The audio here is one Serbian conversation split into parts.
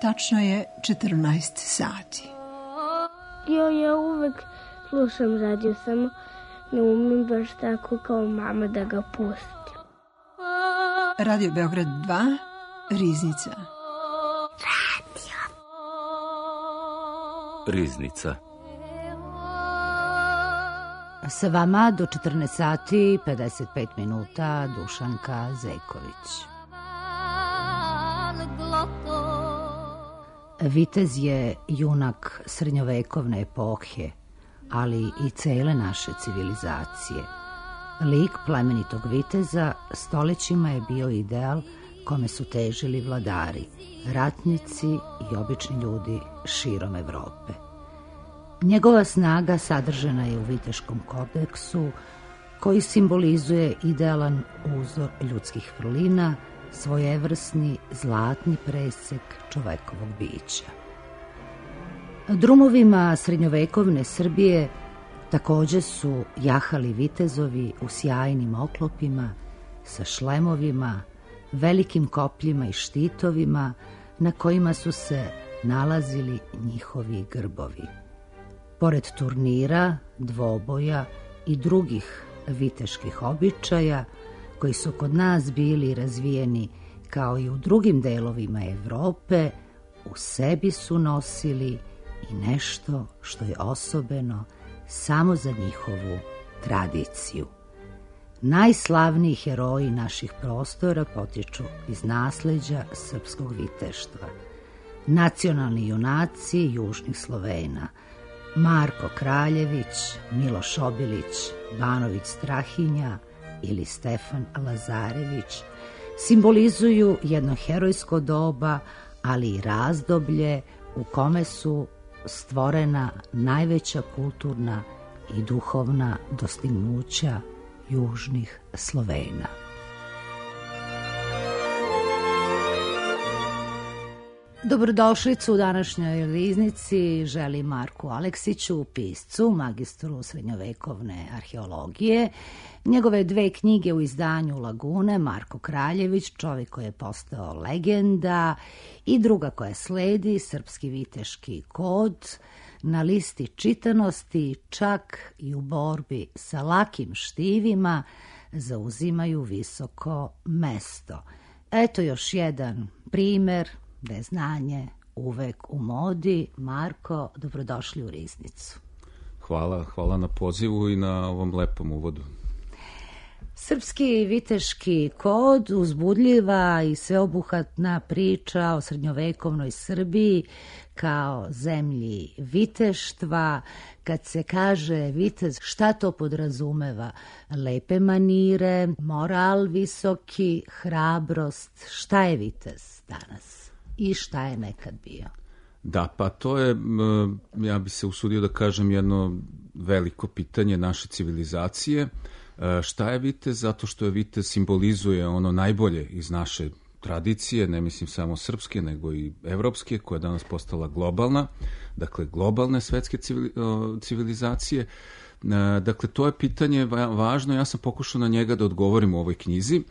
Tačno je 14 sati. Ja uvek slušam radio, samo ne umem baš tako kao mama da ga pustim. Radio Beograd 2, Riznica. Riznica. Sa vama do 14 sati 55 minuta Dušanka Zejković. Vitez je junak srednjovekovne epohe, ali i cele naše civilizacije. Lik plemenitog viteza stolećima je bio ideal kome su težili vladari, ratnici i obični ljudi širom Evrope. Njegova snaga sadržana je u Viteškom kodeksu, koji simbolizuje idealan uzor ljudskih vrlina, svojevrsni zlatni presek čovekovog bića. Drumovima srednjovekovne Srbije takođe su jahali vitezovi u sjajnim oklopima, sa šlemovima, velikim kopljima i štitovima na kojima su se nalazili njihovi grbovi. Pored turnira, dvoboja i drugih viteških običaja, koji su kod nas bili razvijeni kao i u drugim delovima Evrope, u sebi su nosili i nešto što je osobeno samo za njihovu tradiciju. Najslavniji heroji naših prostora potiču iz nasleđa srpskog viteštva. Nacionalni junaci južnih Slovena, Marko Kraljević, Miloš Obilić, Banović Strahinja ili Stefan Lazarević simbolizuju jedno herojsko doba, ali i razdoblje u kome su stvorena najveća kulturna i duhovna dostignuća južnih Slovena. Dobrodošlicu u današnjoj Riznici želi Marku Aleksiću, piscu, magistru srednjovekovne arheologije. Njegove 2 knjige u izdanju Lagune, Marko Kraljević, čovjek koji je postao legenda, i druga koja sledi, Srpski viteški kod, na listi čitanosti, čak i u borbi sa lakim štivima, zauzimaju visoko mesto. Eto još jedan primer da je znanje uvek u modi. Marko, dobrodošli u Riznicu. Hvala na pozivu i na ovom lepom uvodu. Srpski viteški kod, uzbudljiva i sveobuhvatna priča o srednjovekovnoj Srbiji kao zemlji viteštva. Kad se kaže vitez, šta to podrazumeva? Lepe manire, moral visoki, hrabrost. Šta je vitez danas? I šta je nekad bio? Da, pa to je, ja bi se usudio da kažem, jedno veliko pitanje naše civilizacije. Šta je vitez? Zato što je vitez simbolizuje ono najbolje iz naše tradicije, ne mislim samo srpske, nego i evropske, koja je danas postala globalna, dakle globalne svetske civilizacije. Dakle, to je pitanje važno, ja sam pokušao na njega da odgovorim u ovoj knjizi.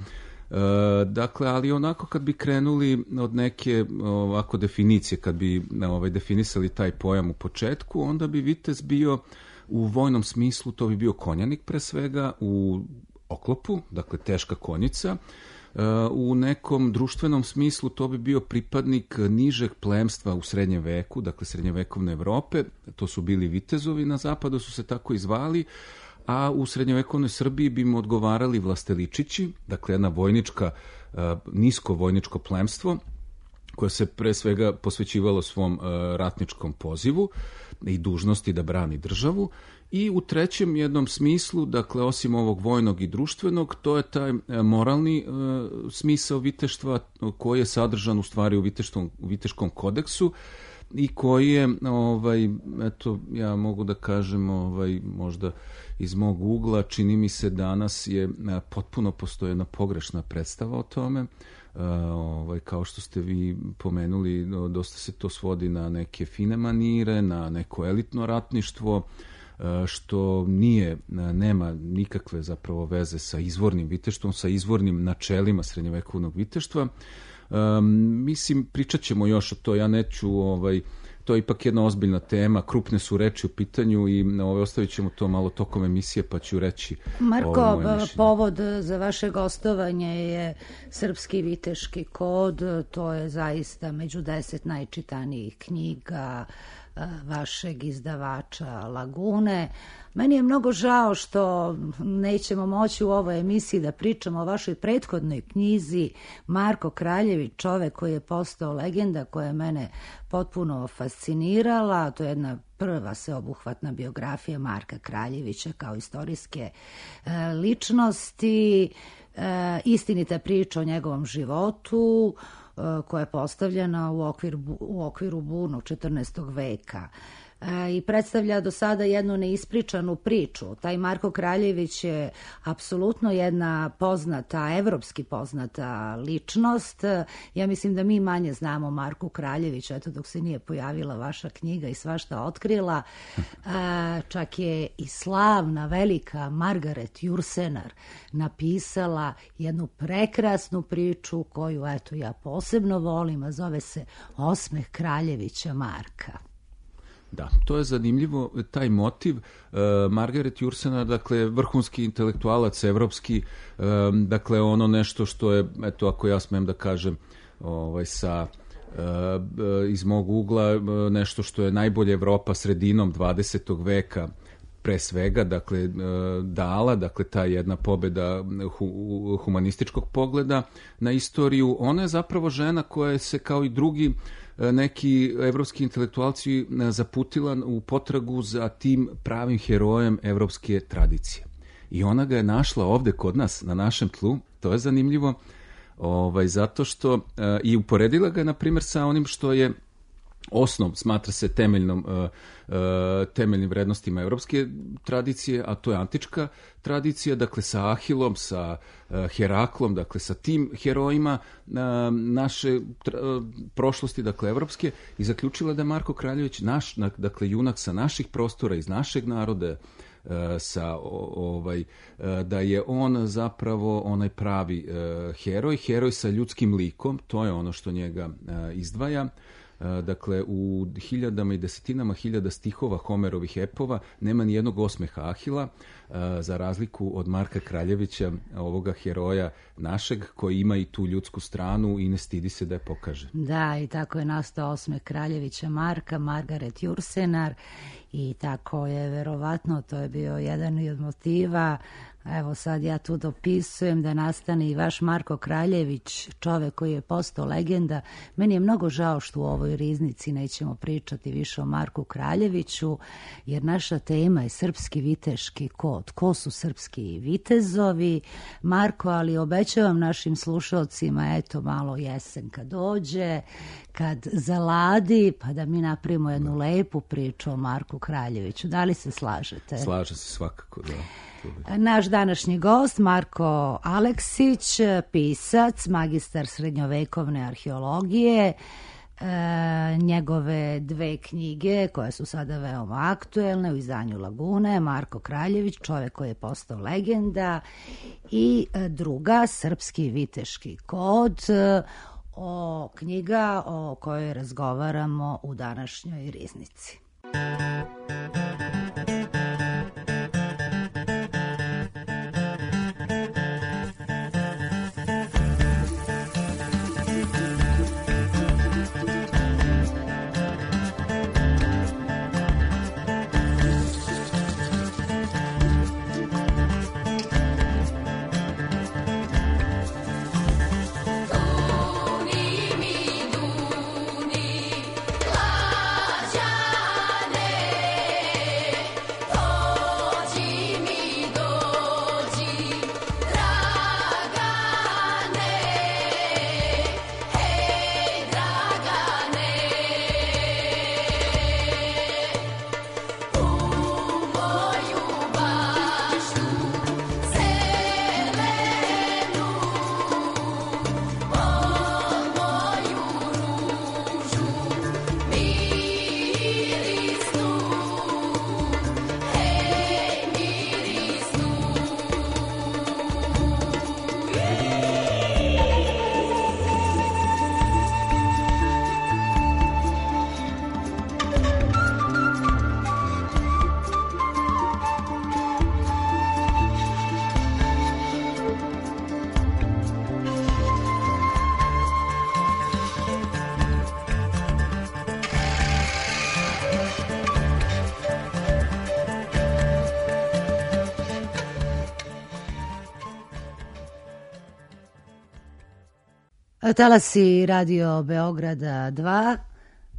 Dakle, ali onako kad bi krenuli od neke ovako definicije, kad bi definisali taj pojam u početku, onda bi vitez bio u vojnom smislu, to bi bio konjanik pre svega, u oklopu, dakle teška konjica. U nekom društvenom smislu to bi bio pripadnik nižeg plemstva u srednjem veku, dakle srednjevekovne Evrope, to su bili vitezovi, na zapadu su se tako i zvali, a u srednjovekovnoj Srbiji bi mu odgovarali vlasteličići, dakle jedna vojnička, nisko vojničko plemstvo, koje se pre svega posvećivalo svom ratničkom pozivu i dužnosti da brani državu. I u trećem jednom smislu, dakle osim ovog vojnog i društvenog, to je taj moralni smisao viteštva koji je sadržan u stvari u Viteškom kodeksu i koji je, eto, ja mogu da kažem, možda iz mog ugla, čini mi se danas je potpuno postoji jedna pogrešna predstava o tome. Kao što ste vi pomenuli, dosta se to svodi na neke fine manire, na neko elitno ratništvo, što nema nikakve zapravo veze sa izvornim viteštvom, sa izvornim načelima srednjovekovnog viteštva. Mislim, pričat ćemo još o to, ja neću, to je ipak jedna ozbiljna tema, krupne su reči u pitanju i ostavit ćemo to malo tokom emisije, pa ću reći. Marko, povod za vaše gostovanje je Srpski viteški kod, to je zaista među 10 najčitanijih knjiga vašeg izdavača Lagune. Meni je mnogo žao što nećemo moći u ovoj emisiji da pričamo o vašoj prethodnoj knjizi Marko Kraljević, čovek koji je postao legenda, koja je mene potpuno fascinirala. To je jedna prva sveobuhvatna biografija Marka Kraljevića kao istorijske ličnosti, istinita priča o njegovom životu, koja je postavljena u okviru burnog 14. veka i predstavlja do sada jednu neispričanu priču. Taj Marko Kraljević je apsolutno jedna poznata, evropski poznata ličnost. Ja mislim da mi manje znamo Marku Kraljeviću, eto dok se nije pojavila vaša knjiga i svašta otkrila. Čak je i slavna, velika Margaret Jursenar napisala jednu prekrasnu priču koju, eto, ja posebno volim, a zove se Osmeh Kraljevića Marka. Da, to je zanimljivo, taj motiv. Margaret Jursenar, dakle, vrhunski intelektualac evropski, dakle, ono nešto što je, eto, ako ja smem da kažem, iz mog ugla, nešto što je najbolje Evropa sredinom 20. veka pre svega, dakle, dala, dakle, ta jedna pobeda humanističkog pogleda na istoriju. Ona je zapravo žena koja se, kao i drugi neki evropski intelektualci, zaputila u potragu za tim pravim herojem evropske tradicije. I ona ga je našla ovde kod nas, na našem tlu. To je zanimljivo, zato što i uporedila ga, na primjer, sa onim što je osnov, smatra se temeljnim vrednostima evropske tradicije, a to je antička tradicija, dakle sa Ahilom, sa Heraklom, dakle sa tim herojima naše prošlosti, dakle evropske, i zaključila da je Marko Kraljević naš, dakle junak sa naših prostora, iz našeg naroda, da je on zapravo onaj pravi heroj sa ljudskim likom, to je ono što njega izdvaja. Dakle, u hiljadama i desetinama hiljada stihova Homerovih epova nema ni jednog osmeha Ahila, za razliku od Marka Kraljevića, ovoga heroja našeg, koji ima i tu ljudsku stranu i ne stidi se da je pokaže. Da, i tako je nastao osmeh Kraljevića Marka, Margaret Jursenar, i tako je, verovatno, to je bio jedan od motiva. Evo sad ja tu dopisujem da nastane i vaš Marko Kraljević, čovek koji je postao legenda. Meni je mnogo žao što u ovoj riznici nećemo pričati više o Marku Kraljeviću, jer naša tema je Srpski viteški kod. Ko su srpski vitezovi, Marko, ali obećavam našim slušalcima, eto, malo jesen kad dođe, kad zaladi, pa da mi napravimo jednu lepu priču o Marku Kraljeviću. Da li se slažete? Slažem se svakako, da. Naš današnji gost, Marko Aleksić, pisac, magistar srednjovekovne arheologije, njegove dve knjige koje su sada veoma aktuelne u izdanju Lagune, Marko Kraljević, čovek koji je postao legenda, i druga, Srpski viteški kod, knjiga o kojoj razgovaramo u današnjoj riznici. Duni mi duni, lađa Talasi Radio Beograda 2.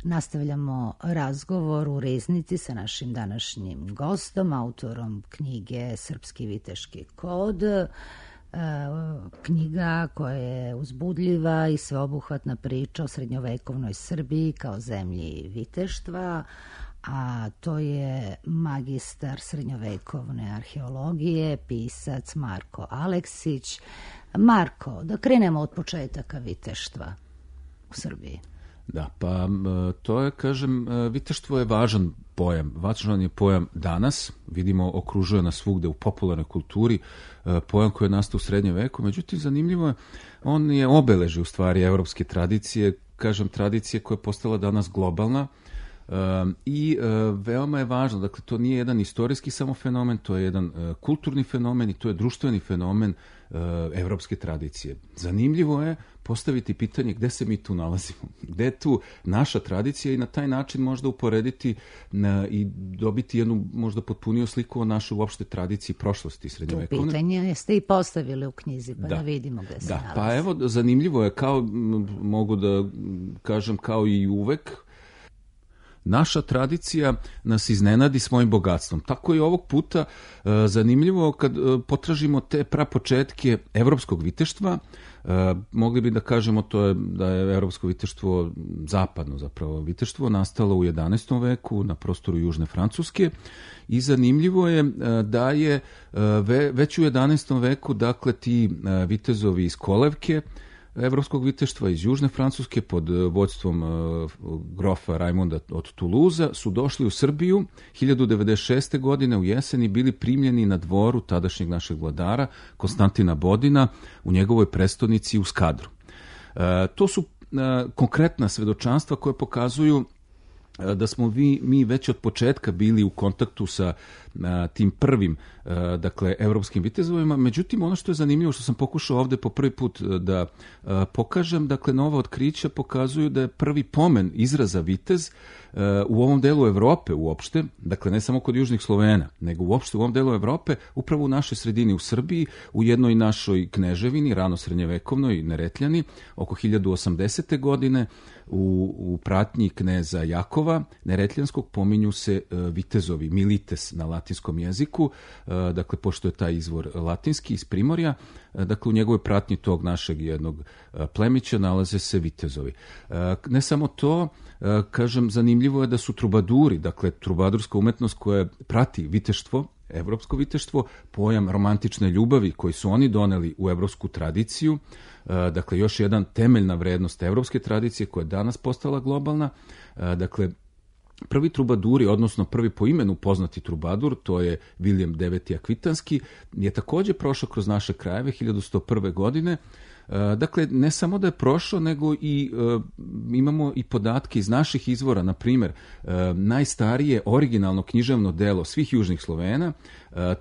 Nastavljamo razgovor u Riznici sa našim današnjim gostom, autorom knjige Srpski viteški kod. Knjiga koja je uzbudljiva i sveobuhvatna priča o srednjovekovnoj Srbiji kao zemlji viteštva, a to je magistar srednjovekovne arheologije, pisac Marko Aleksić. Marko, da krenemo od početaka viteštva u Srbiji. Da, pa to je, kažem, viteštvo je važan pojam. Važan je pojam danas, vidimo, okružuje nas svugde u popularnoj kulturi, pojam koji je nastao u srednjem veku, međutim, zanimljivo je, on je obeleži u stvari evropske tradicije, kažem, tradicije koja je postala danas globalna, i veoma je važno, dakle, to nije jedan istorijski samo fenomen, to je jedan kulturni fenomen i to je društveni fenomen evropske tradicije. Zanimljivo je postaviti pitanje gde se mi tu nalazimo, gde je tu naša tradicija i na taj način možda uporediti i dobiti jednu možda potpuniju sliku o našoj uopšte tradiciji prošlosti srednjovekovne. To pitanje ste i postavili u knjizi, pa da vidimo gde se nalazi. Pa evo, zanimljivo je, kao mogu da kažem, kao i uvek, naša tradicija nas iznenadi svojim bogatstvom. Tako i ovog puta zanimljivo kad potražimo te prapočetke evropskog viteštva, mogli bi da kažemo to je da je evropsko viteštvo, zapadno zapravo viteštvo, nastalo u 11. veku na prostoru Južne Francuske i zanimljivo je da je već u 11. veku, dakle, ti vitezovi iz kolevke evropskog viteštva iz Južne Francuske pod vođstvom grofa Rajmonda od Tuluza su došli u Srbiju 1096. godine u jeseni, bili primljeni na dvoru tadašnjeg našeg vladara Konstantina Bodina u njegovoj prestonici u Skadru. To su konkretna svedočanstva koje pokazuju da smo mi već od početka bili u kontaktu sa tim prvim, dakle, evropskim vitezovima. Međutim, ono što je zanimljivo, što sam pokušao ovde po prvi put da pokažem, dakle, nova otkrića pokazuju da je prvi pomen izraza vitez u ovom delu Evrope uopšte, dakle, ne samo kod južnih Slovena, nego uopšte u ovom delu Evrope, upravo u našoj sredini u Srbiji, u jednoj našoj kneževini, rano srednjevekovnoj, Neretljani, oko 1080. godine, u pratnji kneza Jakova Neretljanskog pominju se vitezovi, milites na latinskom jeziku, dakle, pošto je taj izvor latinski iz Primorja, dakle, u njegovoj pratnji tog našeg jednog plemića nalaze se vitezovi. Ne samo to, kažem, zanimljivo je da su trubaduri, dakle, trubadurska umetnost koja prati viteštvo, evropsko viteštvo, pojam romantične ljubavi koji su oni doneli u evropsku tradiciju, dakle, još jedan temeljna vrednost evropske tradicije koja je danas postala globalna, dakle, prvi trubaduri, odnosno prvi po imenu poznati trubadur, to je Viljem IX. Akvitanski, je takođe prošao kroz naše krajeve 1101. godine. Dakle, ne samo da je prošao, nego i imamo i podatke iz naših izvora, na primjer, najstarije originalno književno delo svih južnih Slovena,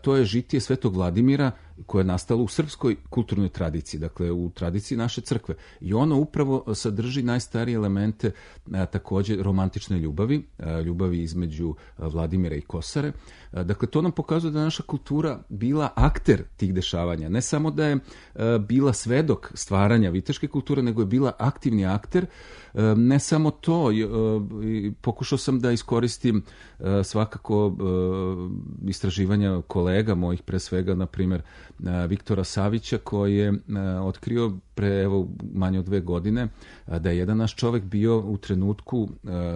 to je Žitije Svetog Vladimira, koje je nastalo u srpskoj kulturnoj tradiciji, dakle u tradiciji naše crkve. I ono upravo sadrži najstarije elemente takođe romantične ljubavi, ljubavi između Vladimira i Kosare. Dakle, to nam pokazuje da je naša kultura bila akter tih dešavanja. Ne samo da je bila svedok stvaranja viteške kulture, nego je bila aktivni akter. Ne samo to, pokušao sam da iskoristim svakako istraživanja kolega mojih, pre svega, na primjer, Viktora Savića, koji je otkrio pre manje od 2 godine da je jedan naš čovek bio u trenutku,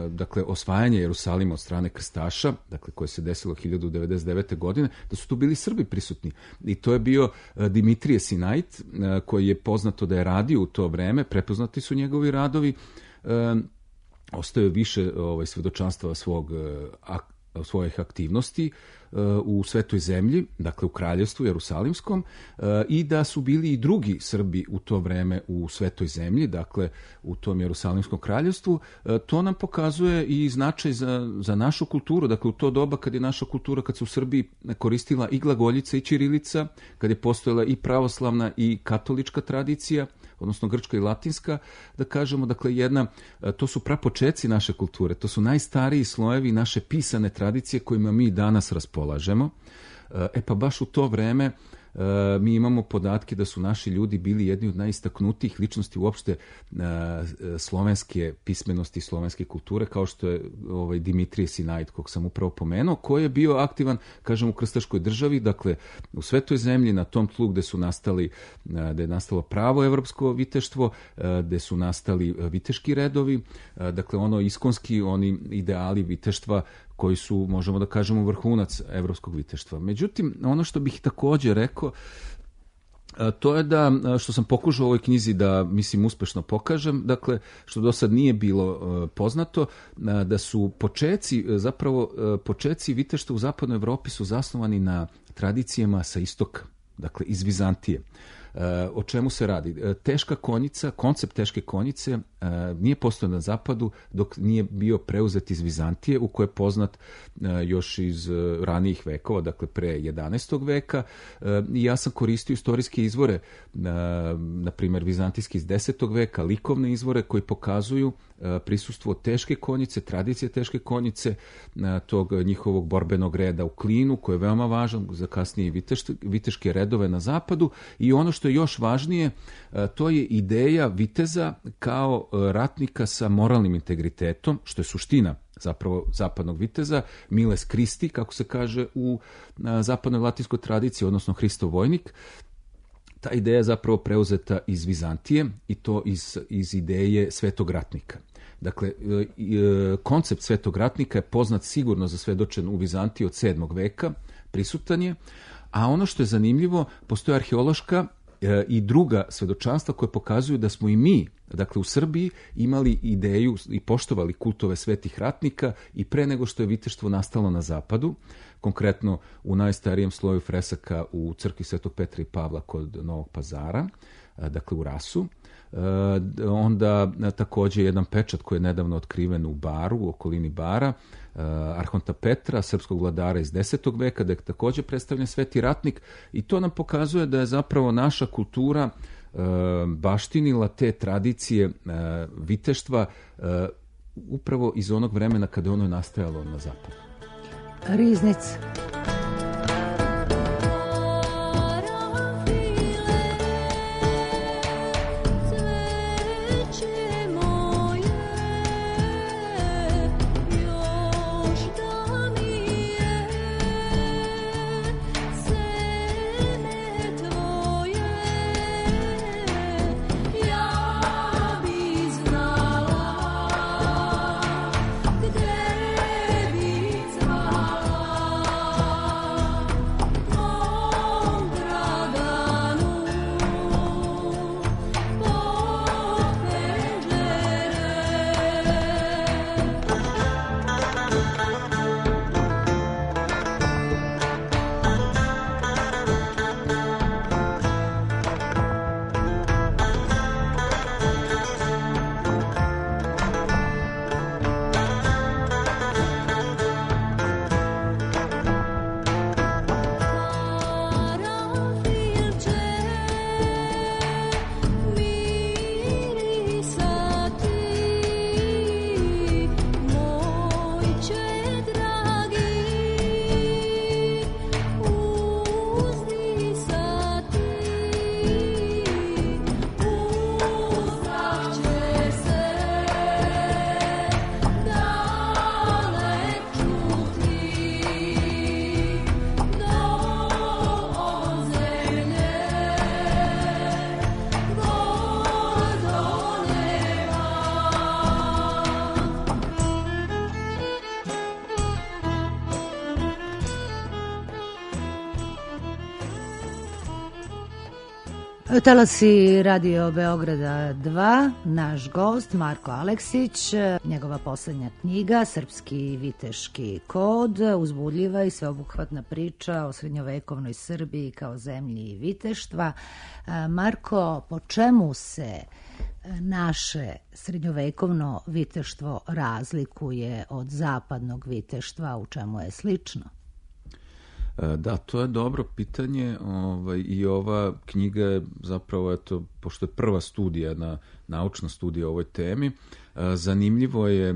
dakle, osvajanja Jerusalima od strane krstaša, dakle, koje se desilo 1099. godine, da su tu bili Srbi prisutni. I to je bio Dimitrije Sinajt, koji je poznato da je radio u to vreme, prepoznati su njegovi radovi, ostaje više svedočanstva svojih aktivnosti u Svetoj zemlji, dakle u kraljevstvu Jerusalimskom, i da su bili i drugi Srbi u to vreme u Svetoj zemlji, dakle u tom Jerusalimskom kraljevstvu. To nam pokazuje i značaj za našu kulturu, dakle u to doba kad je naša kultura, kad se u Srbiji koristila i glagoljica i ćirilica, kad je postojala i pravoslavna i katolička tradicija, odnosno grčka i latinska, da kažemo, dakle, to su prapočeci naše kulture, to su najstariji slojevi naše pisane tradicije kojima mi danas raspolažemo. Pa baš u to vreme mi imamo podatke da su naši ljudi bili jedni od najistaknutijih ličnosti uopšte slovenske pismenosti, slovenske kulture, kao što je Dimitrije Sinaid, kog sam upravo pomenuo, koji je bio aktivan, kažem, u krstaškoj državi, dakle, u svetoj zemlji, na tom tlu gde je nastalo pravo evropsko viteštvo, gde su nastali viteški redovi, dakle, iskonski, oni ideali viteštva koji su, možemo da kažemo, vrhunac evropskog viteštva. Međutim, ono što bih takođe rekao, to je da, što sam pokušao u ovoj knjizi da, mislim, uspešno pokažem, dakle, što do sad nije bilo poznato, da su počeci viteštva u zapadnoj Evropi su zasnovani na tradicijama sa istoka, dakle, iz Vizantije. O čemu se radi? Teška konjica, koncept teške konjice nije postojao na zapadu dok nije bio preuzet iz Vizantije, u kojoj je poznat još iz ranijih vekova, dakle pre 11. veka. I ja sam koristio istorijske izvore, na primjer vizantijski iz 10. veka, likovne izvore koji pokazuju prisustvo teške konjice, tradicije teške konjice, tog njihovog borbenog reda u Klinu, koji je veoma važan za kasnije viteške redove na zapadu. I ono što je još važnije, to je ideja viteza kao ratnika sa moralnim integritetom, što je suština zapravo zapadnog viteza, miles Christi, kako se kaže u zapadnoj latinskoj tradiciji, odnosno Hristov vojnik. Ta ideja je zapravo preuzeta iz Vizantije i to iz ideje svetog ratnika. Dakle, koncept svetog ratnika je poznat sigurno za svedočen u Vizantiji od 7. veka, prisutan je, a ono što je zanimljivo, postoje arheološka i druga svedočanstva koje pokazuju da smo i mi, dakle u Srbiji, imali ideju i poštovali kultove svetih ratnika i pre nego što je viteštvo nastalo na zapadu, konkretno u najstarijem sloju fresaka u crkvi Svetog Petra i Pavla kod Novog Pazara, dakle u Rasu. Onda takođe jedan pečat koji je nedavno otkriven u Baru, u okolini Bara, Arhonta Petra, srpskog vladara iz 10. veka, da je takođe predstavljen sveti ratnik, i to nam pokazuje da je zapravo naša kultura baštinila te tradicije viteštva upravo iz onog vremena kada ono je nastajalo na zapadu. Riznica. Talasi Radio Beograda 2, naš gost Marko Aleksić, njegova poslednja knjiga Srpski viteški kod, uzbudljiva i sveobuhvatna priča o srednjovekovnoj Srbiji kao zemlji viteštva. Marko, po čemu se naše srednjovekovno viteštvo razlikuje od zapadnog viteštva, u čemu je slično? Da, to je dobro pitanje i ova knjiga je zapravo, pošto je prva studija, naučna studija o ovoj temi, zanimljivo je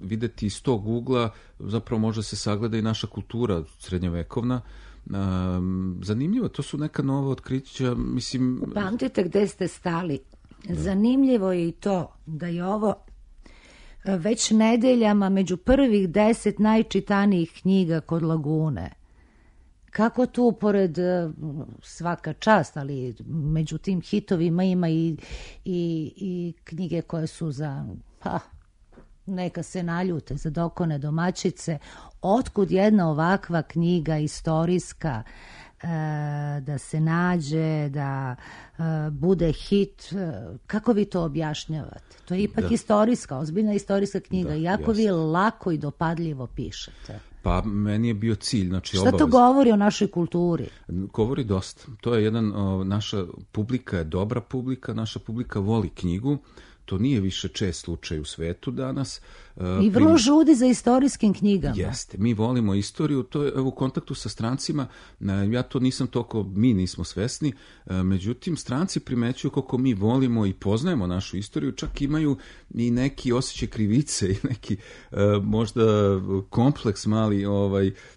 videti iz tog ugla, zapravo može se sagleda i naša kultura srednjovekovna, zanimljivo, to su neka nova otkrića, mislim... Upamtite gde ste stali. Zanimljivo je i to da je ovo već nedeljama među prvih 10 najčitanijih knjiga kod Lagune. Kako tu, pored svaka čast, ali među tim hitovima ima i knjige koje su za, neka se naljute, za dokone domaćice. Otkud jedna ovakva knjiga istorijska da se nađe, da bude hit? Kako vi to objašnjavate? To je ipak istorijska, ozbiljna istorijska knjiga, iako vi lako i dopadljivo pišete. Pa meni je bio cilj, znači Šta to govori o našoj kulturi? Govori dosta. To je naša publika je dobra publika, naša publika voli knjigu. To nije više čest slučaj u svetu danas. I vrlo žudi za istorijskim knjigama. Jeste, mi volimo istoriju, to je u kontaktu sa strancima, ja to nisam toliko, mi nismo svesni, međutim stranci primećuju kako mi volimo i poznajemo našu istoriju, čak imaju i neki osjećaj krivice i neki možda kompleks mali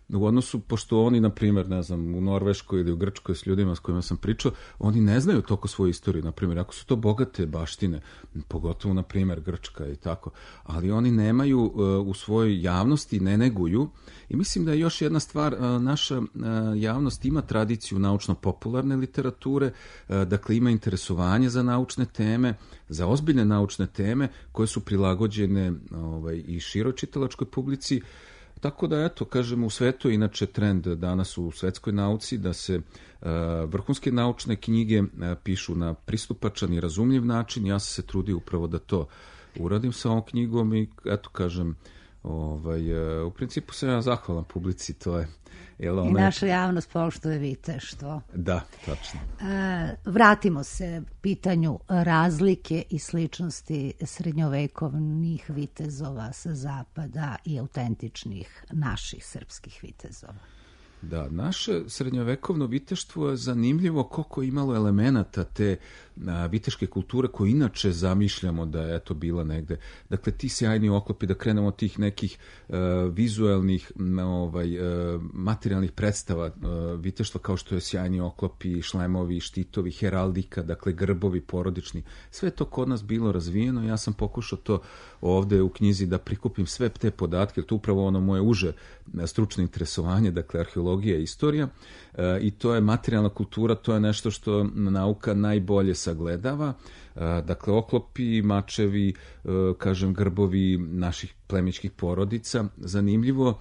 u odnosu, pošto oni, na primjer, ne znam, u Norveškoj ili u Grčkoj s ljudima s kojima sam pričao, oni ne znaju toliko svoju istoriju, na primjer, ako su to bogate baštine, pogotovo, na primjer, Grčka i tako, ali oni nemaju u svojoj javnosti, ne neguju. I mislim da je još jedna stvar, naša javnost ima tradiciju naučno-popularne literature, dakle ima interesovanje za naučne teme, za ozbiljne naučne teme koje su prilagođene i široj čitalačkoj publici. Tako da, eto, kažemo, u svetu je inače trend danas u svetskoj nauci da se vrhunske naučne knjige pišu na pristupačan i razumljiv način. Ja sam se trudio upravo da to uradim sa ovom knjigom i, eto, kažem, u principu sam ja zahvalan publici, to je... I naša javnost poštuje viteštvo. Da, tačno. Vratimo se pitanju razlike i sličnosti srednjovekovnih vitezova sa zapada i autentičnih naših srpskih vitezova. Da, naše srednjovekovno viteštvo je zanimljivo koliko je imalo elemenata te viteške kulture koje inače zamišljamo da je eto bila negde. Dakle, ti sjajni oklopi, da krenemo od tih nekih vizuelnih materijalnih predstava viteštva kao što je sjajni oklopi, šlemovi, štitovi, heraldika, dakle grbovi porodični. Sve to kod nas bilo razvijeno. Ja sam pokušao to ovde u knjizi da prikupim sve te podatke, jer to upravo ono moje uže stručno interesovanje, dakle arheologija i istorija, i to je materijalna kultura, to je nešto što nauka najbolje sagledava, dakle oklopi, mačevi, kažem grbovi naših plemićkih porodica. Zanimljivo,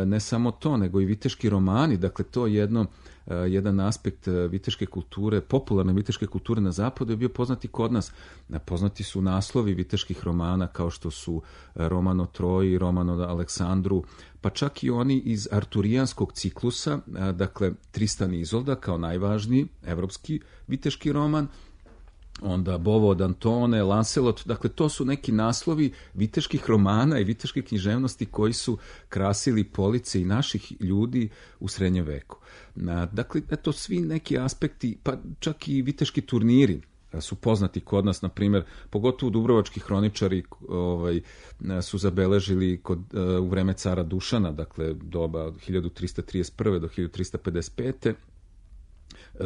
ne samo to, nego i viteški romani, dakle to je jedan aspekt viteške kulture, popularne viteške kulture na zapadu je bio poznati kod nas. Poznati su naslovi viteških romana kao što su Roman o Troji, Roman o Aleksandru, pa čak i oni iz arturijanskog ciklusa, dakle Tristan i Izolda kao najvažniji evropski viteški roman, onda Bovo od Antone, Lancelot, dakle to su neki naslovi viteških romana i viteške književnosti koji su krasili police i naših ljudi u srednjem veku. Dakle, eto svi neki aspekti, pa čak i viteški turniri su poznati kod nas, na primjer, pogotovo dubrovački hroničari su zabeležili u vreme cara Dušana, dakle doba od 1331. do 1355.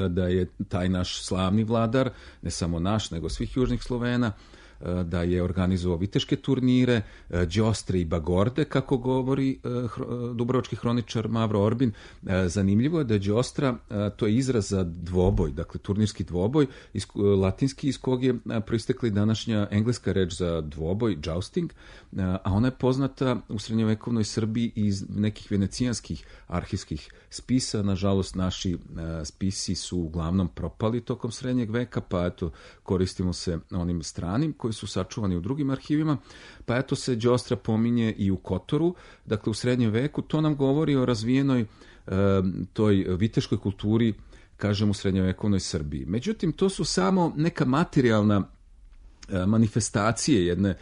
da je taj naš slavni vladar, ne samo naš, nego svih južnih Slovena, da je organizovao viteške turnire, đostre i bagorde, kako govori dubrovački hroničar Mavro Orbin. Zanimljivo je da je đostra, to je izraz za dvoboj, dakle turnirski dvoboj, latinski, iz kog je proistekla i današnja engleska reč za dvoboj, jousting, a ona je poznata u srednjovekovnoj Srbiji iz nekih venecijanskih arhivskih spisa. Nažalost, naši spisi su uglavnom propali tokom srednjeg veka, pa eto, koristimo se onim stranim koji su sačuvani u drugim arhivima, pa eto se đostra pominje i u Kotoru, dakle u srednjem veku. To nam govori o razvijenoj toj viteškoj kulturi, kažem, u srednjovekovnoj Srbiji. Međutim, to su samo neka materijalna manifestacije jedne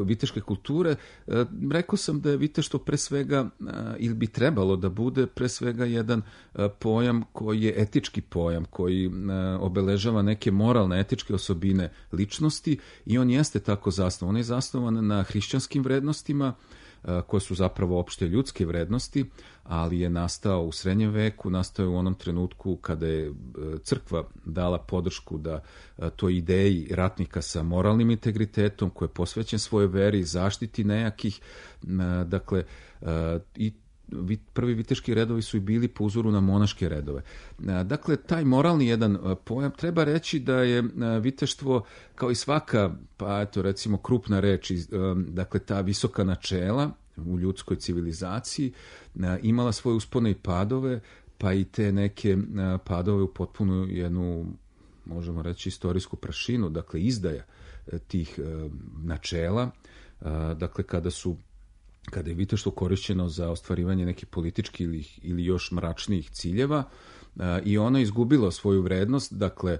viteške kulture. Rekao sam da je viteštvo pre svega, ili bi trebalo da bude pre svega jedan pojam koji je etički pojam, koji obeležava neke moralne, etičke osobine ličnosti, i on jeste tako zasnovan. On je zasnovan na hrišćanskim vrednostima, koje su zapravo opšte ljudske vrednosti, ali je nastao u srednjem veku, nastao je u onom trenutku kada je crkva dala podršku da toj ideji ratnika sa moralnim integritetom koji je posvećen svojoj veri, zaštiti nejakih, dakle, i prvi viteški redovi su i bili po uzoru na monaške redove. Dakle, taj moralni jedan pojam, treba reći da je viteštvo kao i svaka, pa eto recimo krupna reč, dakle ta visoka načela u ljudskoj civilizaciji imala svoje uspone i padove, pa i te neke padove u potpunu jednu, možemo reći, istorijsku prašinu, dakle izdaja tih načela, dakle kada je viteštvo korišćeno za ostvarivanje nekih političkih ili još mračnijih ciljeva, i ono je izgubilo svoju vrednost, dakle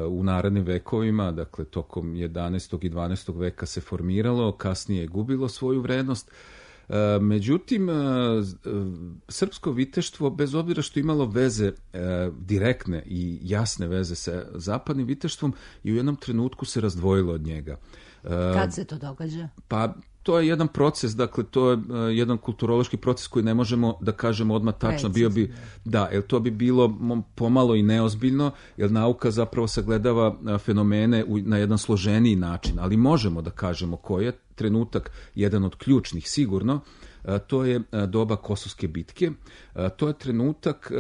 u narednim vekovima, dakle tokom 11. i 12. veka se formiralo, kasnije je gubilo svoju vrednost. Međutim, srpsko viteštvo, bez obzira što imalo veze direktne i jasne veze sa zapadnim viteštvom, i u jednom trenutku se razdvojilo od njega. Kad se to događa? Pa to je jedan proces, dakle to je jedan kulturološki proces koji ne možemo da kažemo odmah tačno. Bio bi, da, jer to bi bilo pomalo i neozbiljno, jer nauka zapravo sagledava fenomene na jedan složeniji način, ali možemo da kažemo koji je trenutak, jedan od ključnih sigurno. To je doba Kosovske bitke. To je trenutak,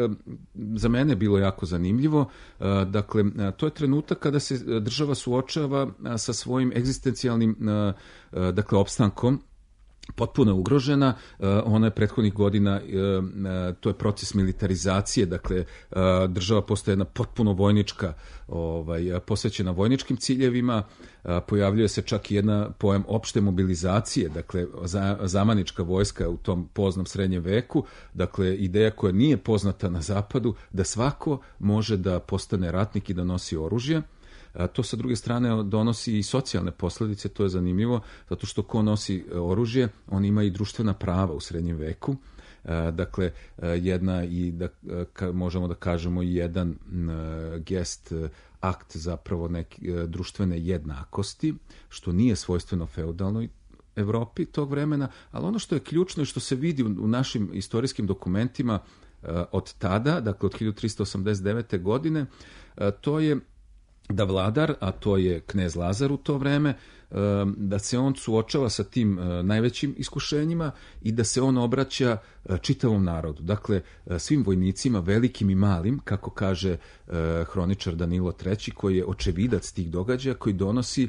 za mene je bilo jako zanimljivo, dakle, to je trenutak kada se država suočava sa svojim egzistencijalnim, dakle, opstankom, potpuno ugrožena. Ona je prethodnih godina, to je proces militarizacije, dakle država postaje jedna potpuno vojnička, posvećena vojničkim ciljevima, pojavljuje se čak i jedna pojam opšte mobilizacije, dakle zamanička vojska u tom poznom srednjem veku, dakle ideja koja nije poznata na zapadu, da svako može da postane ratnik i da nosi oružje. To sa druge strane donosi i socijalne posljedice, to je zanimljivo, zato što ko nosi oružje, on ima i društvena prava u srednjem veku. Dakle, jedna i možemo da kažemo i jedan gest, akt zapravo neke društvene jednakosti, što nije svojstveno feudalnoj Evropi tog vremena, ali ono što je ključno i što se vidi u našim istorijskim dokumentima od tada, dakle od 1389. godine, to je da vladar, a to je knez Lazar u to vreme, da se on suočava sa tim najvećim iskušenjima i da se on obraća čitavom narodu. Dakle, svim vojnicima, velikim i malim, kako kaže hroničar Danilo III, koji je očevidac tih događaja, koji donosi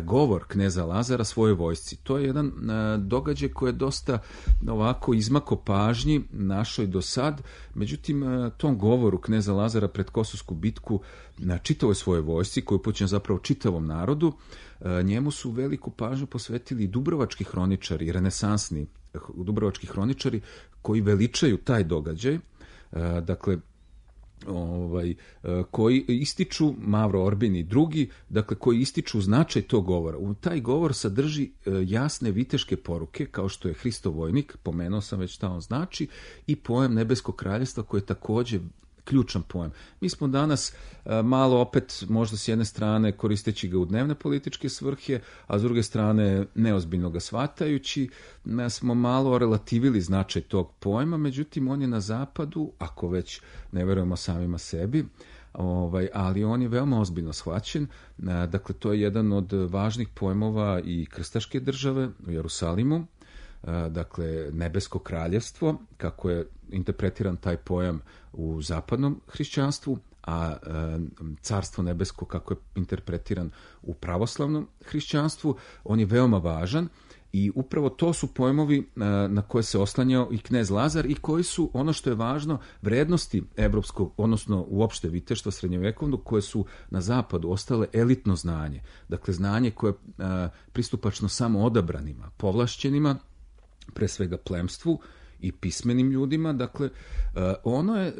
govor kneza Lazara svojoj vojsci. To je jedan događaj koji je dosta ovako izmako pažnji našoj do sad. Međutim, tom govoru kneza Lazara pred Kosovsku bitku na čitavoj svojoj vojsci, koju upućen zapravo čitavom narodu, njemu su veliku pažnju posvetili dubrovački hroničari, renesansni dubrovački hroničari, koji veličaju taj događaj, dakle, koji ističu, Mavro Orbin i drugi, dakle, koji ističu značaj tog govora. Taj govor sadrži jasne viteške poruke, kao što je Hristov vojnik, pomenuo sam već šta on znači, i pojam nebeskog kraljevstva, koji je takođe ključan pojam. Mi smo danas malo opet, možda s jedne strane koristeći ga u dnevne političke svrhe, a s druge strane neozbiljno ga shvatajući, smo malo relativili značaj tog pojma, međutim on je na zapadu, ako već ne verujemo samima sebi, ali on je veoma ozbiljno shvaćen. Dakle, to je jedan od važnih pojmova i krstaške države u Jerusalimu, dakle nebesko kraljevstvo, kako je interpretiran taj pojam u zapadnom hrišćanstvu, a carstvo nebesko kako je interpretiran u pravoslavnom hrišćanstvu, on je veoma važan i upravo to su pojmovi na koje se oslanjao i knez Lazar i koji su, ono što je važno, vrednosti evropskog, odnosno uopšte viteštva srednjovekovno, koje su na zapadu ostale elitno znanje. Dakle, znanje koje je pristupačno samo odabranima, povlašćenima, pre svega plemstvu i pismenim ljudima. Dakle, ono je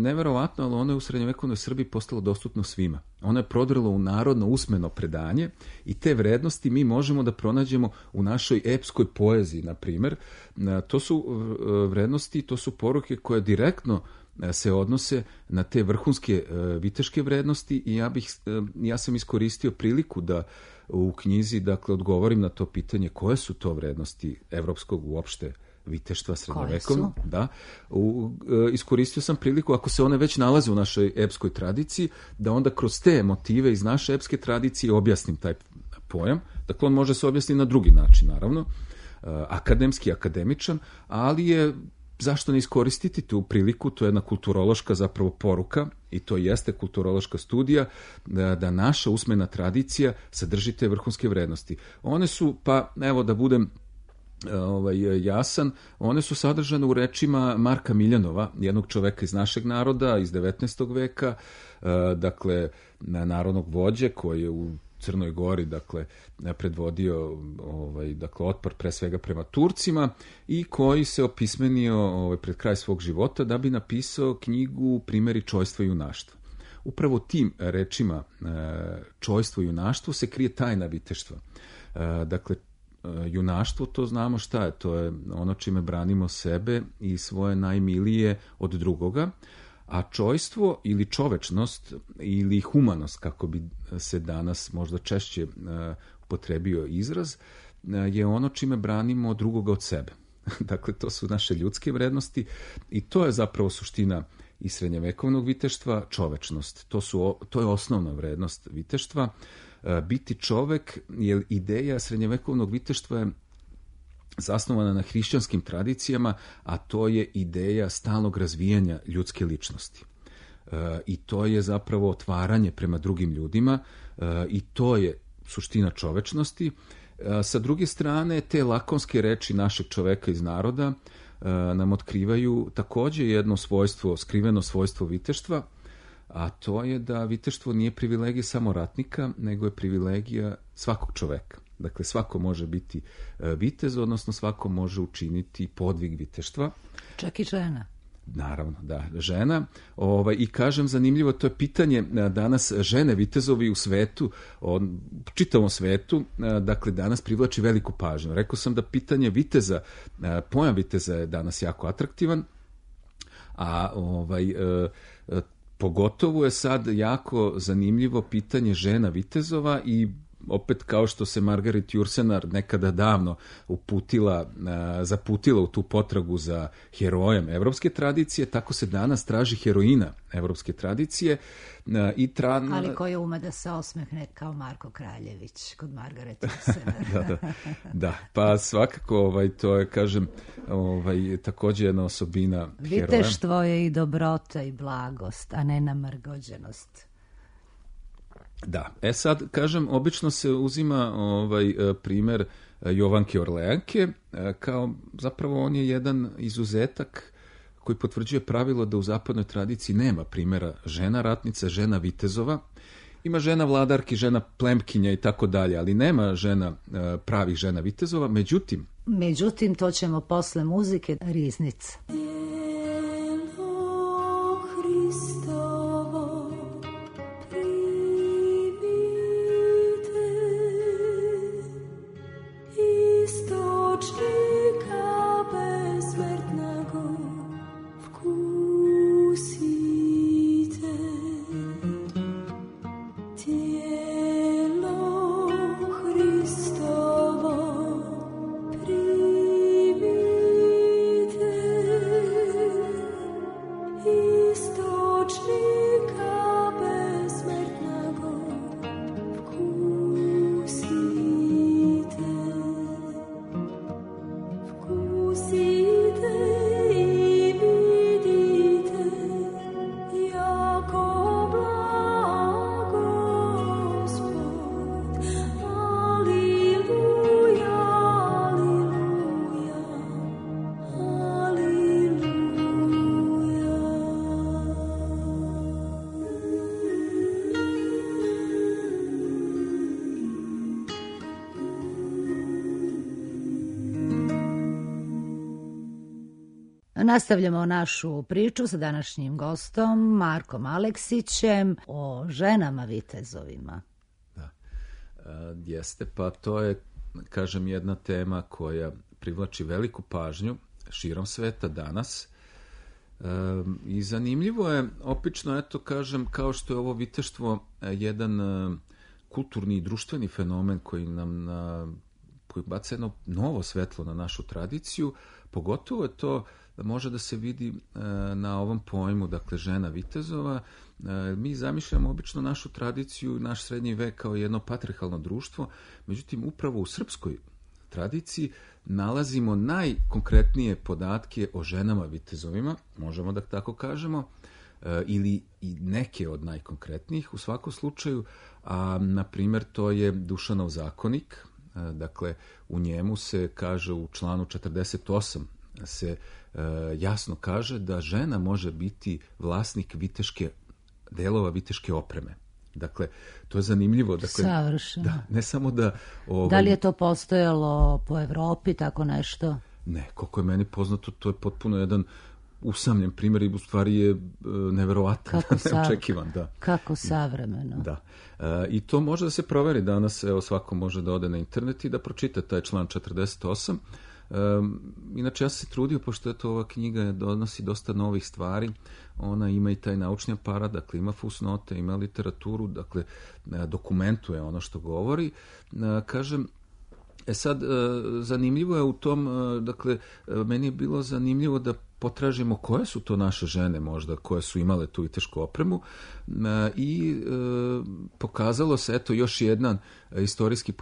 neverovatno, ali ono je u srednjovekovnoj Srbiji postalo dostupno svima. Ono je prodrlo u narodno usmeno predanje i te vrednosti mi možemo da pronađemo u našoj epskoj poeziji, na primer. To su vrednosti, to su poruke koje direktno se odnose na te vrhunske viteške vrednosti i ja sam iskoristio priliku da u knjizi, dakle, odgovorim na to pitanje koje su to vrednosti evropskog uopšte viteštva srednjovekovnog. Da. Iskoristio sam priliku, ako se one već nalaze u našoj epskoj tradiciji, da onda kroz te motive iz naše epske tradicije objasnim taj pojam. Dakle, on može se objasniti na drugi način, naravno, akademski, akademičan, ali je, zašto ne iskoristiti tu priliku, to je jedna kulturološka zapravo poruka i to jeste kulturološka studija, da naša usmena tradicija sadrži te vrhunske vrednosti. One su, pa evo da budem jasan, one su sadržane u rečima Marka Miljanova, jednog čoveka iz našeg naroda, iz 19. veka, dakle, narodnog vođe koji je u Crnoj Gori, dakle, predvodio dakle, otpor pre svega prema Turcima i koji se opismenio pred kraj svog života da bi napisao knjigu Primeri čojstva i junaštva. Upravo tim rečima čojstvo i junaštvo se krije tajna viteštva. Dakle, junaštvo, to znamo šta je, to je ono čime branimo sebe i svoje najmilije od drugoga, a čojstvo ili čovečnost ili humanost, kako bi se danas možda češće upotrebio izraz, je ono čime branimo drugoga od sebe. Dakle, to su naše ljudske vrednosti i to je zapravo suština i srednjevekovnog viteštva, čovečnost. To je osnovna vrednost viteštva. Biti čovek, jer ideja srednjevekovnog viteštva je zasnovana na hrišćanskim tradicijama, a to je ideja stalnog razvijanja ljudske ličnosti. I to je zapravo otvaranje prema drugim ljudima i to je suština čovečnosti. Sa druge strane, te lakonske reči našeg čoveka iz naroda nam otkrivaju takođe jedno svojstvo, skriveno svojstvo viteštva, a to je da viteštvo nije privilegija samo ratnika, nego je privilegija svakog čoveka. Dakle, svako može biti vitez, odnosno svako može učiniti podvig viteštva. Čak i žena. Naravno, da, žena. I kažem, zanimljivo, to je pitanje danas žene vitezovi u svetu, čitavom svetu, dakle, danas privlači veliku pažnju. Rekao sam da pitanje viteza, pojam viteza je danas jako atraktivan, a pogotovo je sad jako zanimljivo pitanje žena vitezova i opet kao što se Margaret Jursenar nekada davno zaputila u tu potragu za herojem evropske tradicije, tako se danas traži heroina evropske tradicije. Ali koji ume da se osmehne kao Marko Kraljević kod Margaret Jursenar. Da, pa svakako to je, kažem, takođe jedna osobina heroja. Viteštvo je i dobrota i blagost, a ne namrgođenost. Da, sad, kažem, obično se uzima primer Jovanke Orleanke, kao zapravo on je jedan izuzetak koji potvrđuje pravilo da u zapadnoj tradiciji nema primjera žena ratnica, žena vitezova. Ima žena vladarki, žena plemkinja i tako dalje, ali nema pravih žena vitezova. Međutim, to ćemo posle muzike. Riznica. Nastavljamo našu priču sa današnjim gostom Markom Aleksićem o ženama vitezovima. Da, jeste, pa to je, kažem, jedna tema koja privlači veliku pažnju širom sveta danas. I zanimljivo je, opično, eto kažem, kao što je ovo viteštvo jedan kulturni i društveni fenomen koji nam koji baca jedno novo svetlo na našu tradiciju, pogotovo je to može da se vidi na ovom pojmu, dakle, žena vitezova. Mi zamišljamo obično našu tradiciju, naš srednji vek kao jedno patriarhalno društvo, međutim, upravo u srpskoj tradiciji nalazimo najkonkretnije podatke o ženama vitezovima, možemo da tako kažemo, ili i neke od najkonkretnijih u svakom slučaju, a na primjer to je Dušanov zakonik, dakle u njemu se kaže u članu 48 se jasno kaže da žena može biti vlasnik delova viteške opreme. Dakle, to je zanimljivo. Dakle, savršeno. Da, ne samo da... Da li je to postojalo po Evropi, tako nešto? Ne, koliko je meni poznato, to je potpuno jedan usamljen primjer i u stvari je neverovatan, neočekivan. Da. Kako savremeno. Da. I to može da se proveri danas, evo svako može da ode na internet i da pročita taj član 48. Inače, ja sam se trudio, pošto je to ova knjiga donosi dosta novih stvari, ona ima i taj naučni aparat, dakle ima fusnote, ima literaturu, dakle dokumentuje ono što govori. Kažem, sad, zanimljivo je u tom, dakle, meni je bilo zanimljivo da potražimo koje su to naše žene možda, koje su imale tu vitešku opremu i pokazalo se, eto, još jedan istorijski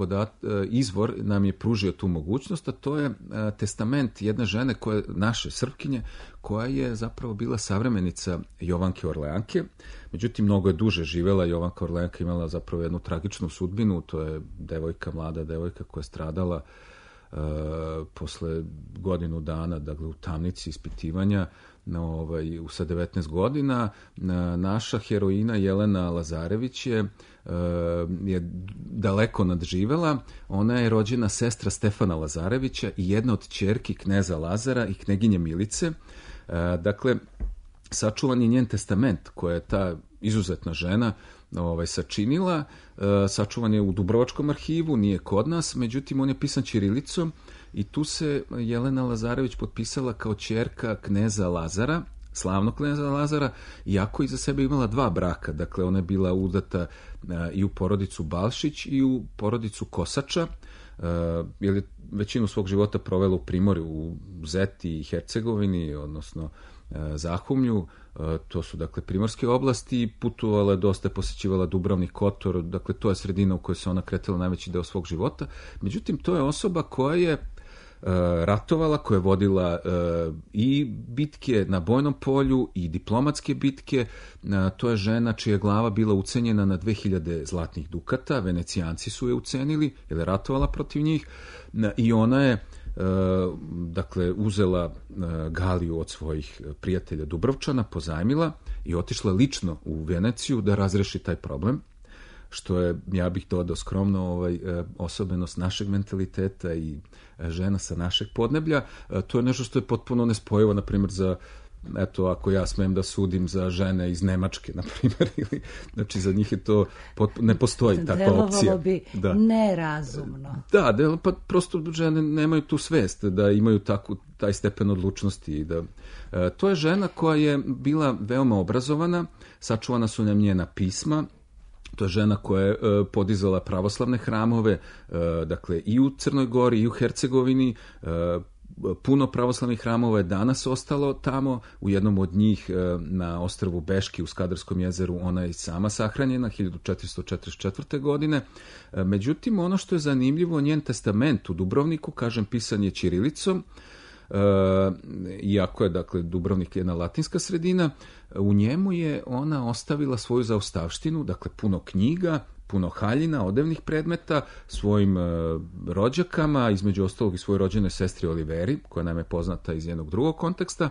izvor nam je pružio tu mogućnost, a to je testament jedne žene, naše Srpkinje, koja je zapravo bila savremenica Jovanke Orleanke. Međutim, mnogo je duže živela. Jovanka Orleanka imala zapravo jednu tragičnu sudbinu, to je mlada devojka koja je stradala posle godinu dana, dakle u tamnici ispitivanja sa 19 godina. Naša heroina Jelena Lazarević je daleko nadživela. Ona je rođena sestra Stefana Lazarevića i jedna od ćerki kneza Lazara i kneginje Milice. Dakle, sačuvan je njen testament koja je ta izuzetna žena sačinila. Sačuvan je u Dubrovačkom arhivu, nije kod nas, međutim on je pisan ćirilicom i tu se Jelena Lazarević potpisala kao ćerka kneza Lazara, slavnog kneza Lazara, iako iza sebe imala 2 braka. Dakle, ona je bila udata i u porodicu Balšić i u porodicu Kosača, jer je većinu svog života provela u Primorju, u Zeti i Hercegovini, odnosno Zahumlju. To su, dakle, primorske oblasti, putovala, dosta je posećivala Dubrovnik, Kotor, dakle, to je sredina u kojoj se ona kretala najveći deo svog života. Međutim, to je osoba koja je ratovala, koja je vodila i bitke na bojnom polju i diplomatske bitke. To je žena čija je glava bila ucenjena na 2000 zlatnih dukata, Venecijanci su je ucenili, jer je ratovala protiv njih, i ona je dakle uzela Galiju od svojih prijatelja Dubrovčana, pozajmila i otišla lično u Veneciju da razreši taj problem, što je, ja bih dodao skromno, osobenost našeg mentaliteta i žena sa našeg podneblja. To je nešto što je potpuno nespojivo, na primjer, za, eto, ako ja smem da sudim za žene iz Nemačke, na primjer, ili, znači za njih je to ne postoji takva opcija. Delovalo bi nerazumno. Da, pa prosto žene nemaju tu svest da imaju taj stepen odlučnosti. To je žena koja je bila veoma obrazovana, sačuvana su nam njena pisma. To je žena koja je podizala pravoslavne hramove, dakle i u Crnoj Gori i u Hercegovini. Puno pravoslavnih hramova je danas ostalo tamo. U jednom od njih na ostrvu Beški u Skadarskom jezeru ona je sama sahranjena 1444. godine. Međutim, ono što je zanimljivo, njen testament u Dubrovniku, kažem, pisan je ćirilicom, iako je, dakle, Dubrovnik jedna latinska sredina. U njemu je ona ostavila svoju zaostavštinu, dakle puno knjiga, puno haljina, odevnih predmeta, svojim rođakama, između ostalog i svojoj rođenoj sestri Oliveri, koja nam je poznata iz jednog drugog konteksta.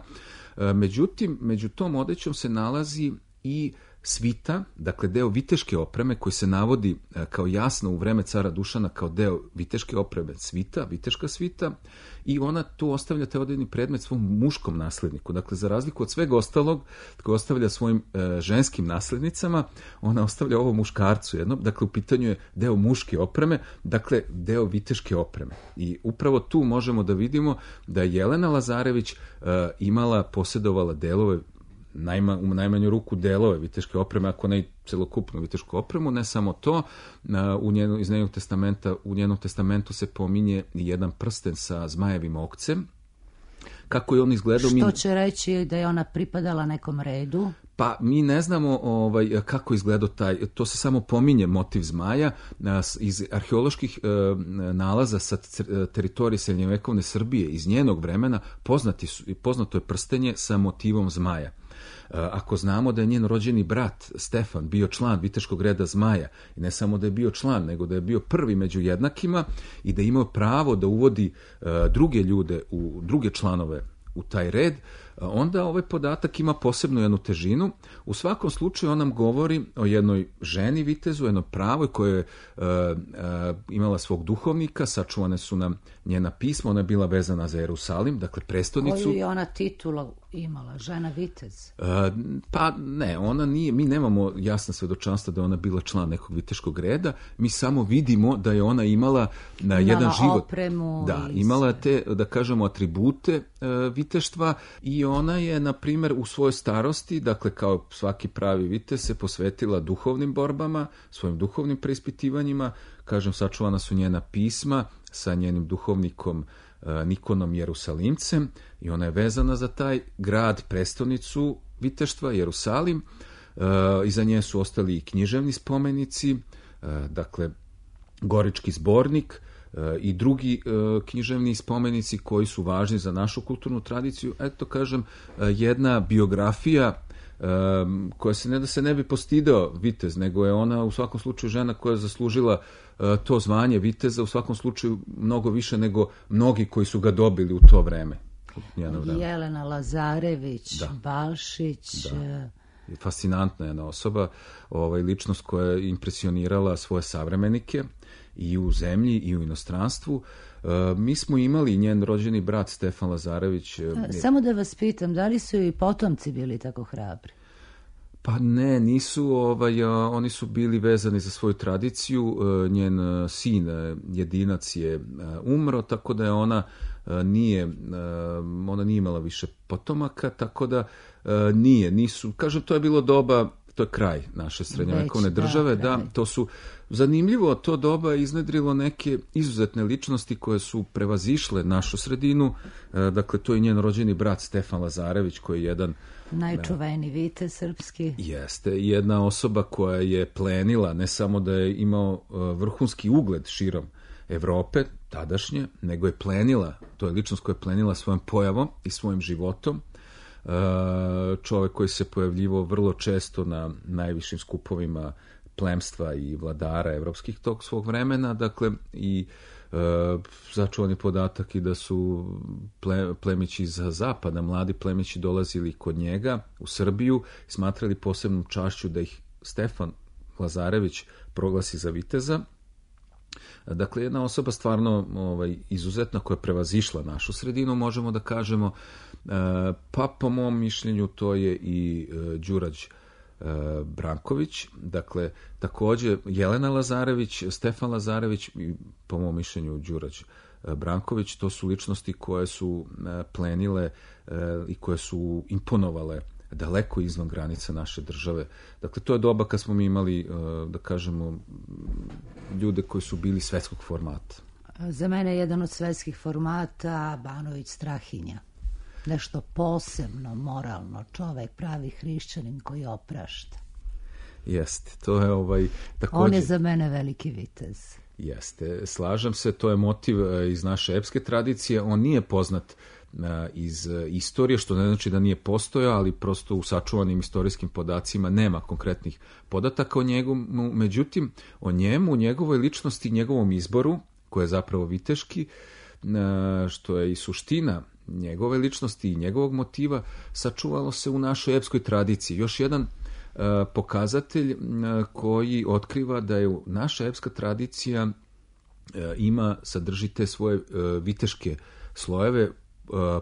Međutim, među tom odećom se nalazi i svita, dakle deo viteške opreme koji se navodi kao jasno u vreme cara Dušana kao deo viteške opreme svita, viteška svita, i ona tu ostavlja taj odredni predmet svom muškom nasledniku. Dakle, za razliku od svega ostalog, koji ostavlja svojim ženskim naslednicama, ona ostavlja ovo muškarcu jednom. Dakle, u pitanju je deo muške opreme, dakle, deo viteške opreme. I upravo tu možemo da vidimo da je Jelena Lazarević posjedovala delove, u najmanju ruku delove viteške opreme, ako ne i celokupnu vitešku opremu. Ne samo to, iz njenog testamentu se pominje i jedan prsten sa zmajevim okcem. Kako je on izgledao? Što će reći da je ona pripadala nekom redu? Pa mi ne znamo kako izgledao to se samo pominje motiv zmaja. Iz arheoloških nalaza sa teritorije srednjovekovne Srbije iz njenog vremena poznato je prstenje sa motivom zmaja. Ako znamo da je njen rođeni brat Stefan bio član viteškog reda zmaja, i ne samo da je bio član, nego da je bio prvi među jednakima i da je imao pravo da uvodi druge ljude, druge članove u taj red, onda ovaj podatak ima posebnu jednu težinu. U svakom slučaju on nam govori o jednoj ženi vitezu, jednoj pravoj koja je imala svog duhovnika, sačuvane su nam njena pisma, ona je bila vezana za Jerusalim, dakle prestonicu. Koju je ona titulu imala, žena vitez? Pa ne, ona nije, mi nemamo jasna svedočanstva da je ona bila član nekog viteškog reda, mi samo vidimo da je ona imala jedan život. Opremu. Da, imala te, da kažemo, atribute viteštva, i ona je, na primjer, u svojoj starosti, dakle kao svaki pravi vitez, se posvetila duhovnim borbama, svojim duhovnim preispitivanjima. Kažem, sačuvana su njena pisma sa njenim duhovnikom Nikonom Jerusalimcem, i ona je vezana za taj grad, prestonicu viteštva, Jerusalim. Iza nje su ostali i književni spomenici, dakle Gorički zbornik i drugi književni spomenici koji su važni za našu kulturnu tradiciju. Eto, kažem, jedna biografija koja se ne da se ne bi postidao vitez, nego je ona u svakom slučaju žena koja je zaslužila to zvanje viteza, u svakom slučaju mnogo više nego mnogi koji su ga dobili u to vreme. Jelena Lazarević, da. Balšić. Da. Fascinantna jedna osoba, ličnost koja je impresionirala svoje savremenike i u zemlji i u inostranstvu. Mi smo imali njen rođeni brat Stefan Lazarević. Samo da vas pitam, da li su i potomci bili tako hrabri? Pa ne, nisu, oni su bili vezani za svoju tradiciju. Njen sin, jedinac, je umro, tako da je ona nije imala više potomaka, tako da nisu, kažem, to je bilo doba, to je kraj naše srednjovekovne države, da, to su, zanimljivo, to doba je iznedrilo neke izuzetne ličnosti koje su prevazišle našu sredinu, dakle, to je njen rođeni brat Stefan Lazarević, koji je jedan najčuveniji vitez srpski. Jeste, jedna osoba koja je plenila, ne samo da je imao vrhunski ugled širom Evrope, tadašnje, nego je plenila, to je ličnost koja je plenila svojom pojavom i svojim životom. Čovjek koji se pojavljivao vrlo često na najvišim skupovima plemstva i vladara evropskih tog svog vremena, dakle, i začuvan je podatak i da su plemići za zapada, mladi plemići dolazili kod njega u Srbiju, smatrali posebnom čašću da ih Stefan Lazarević proglasi za viteza. Dakle, jedna osoba stvarno izuzetna koja je prevazišla našu sredinu, možemo da kažemo, pa po mom mišljenju to je i Đurađ Branković, dakle, također Jelena Lazarević, Stefan Lazarević i po mom mišljenju Đurađ Branković, to su ličnosti koje su plenile i koje su imponovale daleko izvan granica naše države. Dakle, to je doba kad smo mi imali, da kažemo, ljude koji su bili svetskog formata. Za mene je jedan od svetskih formata Banović Strahinja. Nešto posebno, moralno, čovek, pravi hrišćanin koji oprašta. Jeste, to je također... On je za mene veliki vitez. Jeste, slažem se, to je motiv iz naše epske tradicije, on nije poznat iz istorije, što ne znači da nije postojao, ali prosto u sačuvanim istorijskim podacima nema konkretnih podataka o njemu, međutim, o njemu, njegovoj ličnosti, njegovom izboru, koji je zapravo viteški, što je i suština njegove ličnosti i njegovog motiva, sačuvalo se u našoj epskoj tradiciji. Još jedan pokazatelj koji otkriva da je naša epska tradicija sadrži te svoje viteške slojeve,